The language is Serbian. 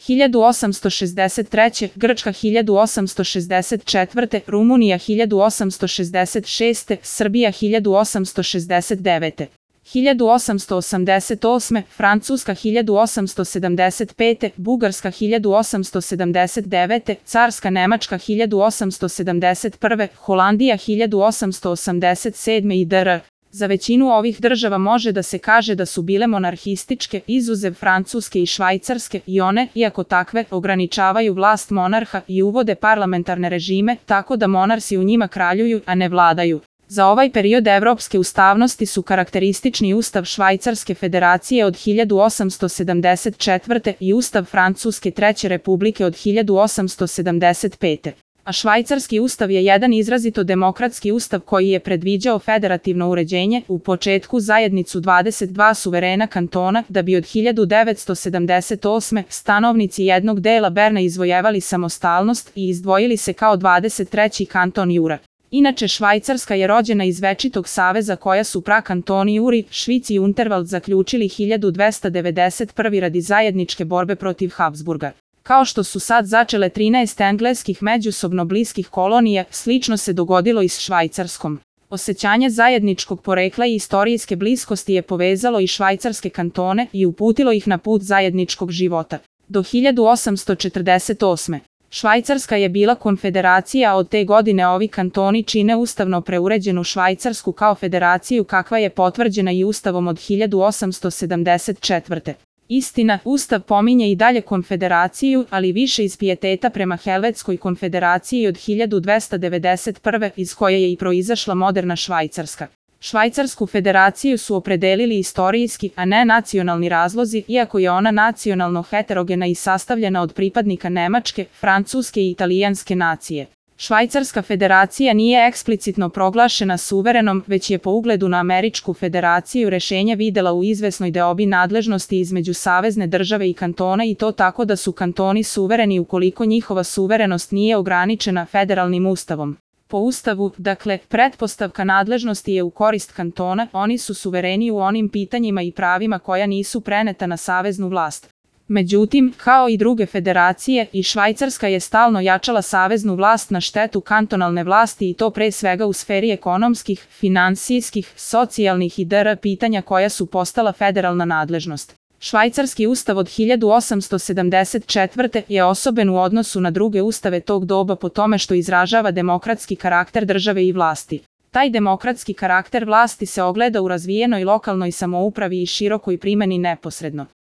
1863. Grčka 1864. Rumunija 1866. Srbija 1869. 1888. Francuska 1875. Bugarska 1879. Carska Nemačka 1871. Holandija 1887. i dr. Za većinu ovih država može da se kaže da su bile monarhističke, izuzev Francuske i Švajcarske, i one, iako takve, ograničavaju vlast monarha i uvode parlamentarne režime, tako da monarsi u njima kraljuju, a ne vladaju. Za ovaj period evropske ustavnosti su karakteristični Ustav Švajcarske federacije od 1874. i Ustav Francuske Treće republike od 1875. A švajcarski ustav je jedan izrazito demokratski ustav koji je predviđao federativno uređenje, u početku zajednicu 22 suverena kantona, da bi od 1978. stanovnici jednog dela Berna izvojevali samostalnost i izdvojili se kao 23. kanton Jura. Inače, Švajcarska je rođena iz večitog saveza koja su prakantoni Juri, Švic i Unterwald zaključili 1291. radi zajedničke borbe protiv Habsburga. Kao što su sad začele 13 engleskih međusobno bliskih kolonija, slično se dogodilo i s Švajcarskom. Osjećanje zajedničkog porekla i istorijske bliskosti je povezalo i švajcarske kantone i uputilo ih na put zajedničkog života. Do 1848. Švajcarska je bila konfederacija, a od te godine ovi kantoni čine ustavno preuređenu Švajcarsku kao federaciju kakva je potvrđena i Ustavom od 1874. Istina, Ustav pominje i dalje konfederaciju, ali više iz pijeteta prema Helvetskoj konfederaciji od 1291. iz koje je i proizašla moderna Švajcarska. Švajcarsku federaciju su opredelili istorijski, a ne nacionalni razlozi, iako je ona nacionalno heterogena i sastavljena od pripadnika nemačke, francuske i italijanske nacije. Švajcarska federacija nije eksplicitno proglašena suverenom, već je po ugledu na Američku federaciju rešenje videla u izvesnoj deobi nadležnosti između savezne države i kantona, i to tako da su kantoni suvereni ukoliko njihova suverenost nije ograničena federalnim ustavom. Po ustavu, dakle, pretpostavka nadležnosti je u korist kantona, oni su suvereni u onim pitanjima i pravima koja nisu preneta na saveznu vlast. Međutim, kao i druge federacije, i Švajcarska je stalno jačala saveznu vlast na štetu kantonalne vlasti, i to pre svega u sferi ekonomskih, finansijskih, socijalnih i dr. pitanja koja su postala federalna nadležnost. Švajcarski ustav od 1874. je osoben u odnosu na druge ustave tog doba po tome što izražava demokratski karakter države i vlasti. Taj demokratski karakter vlasti se ogleda u razvijenoj lokalnoj samoupravi i širokoj primeni neposredno.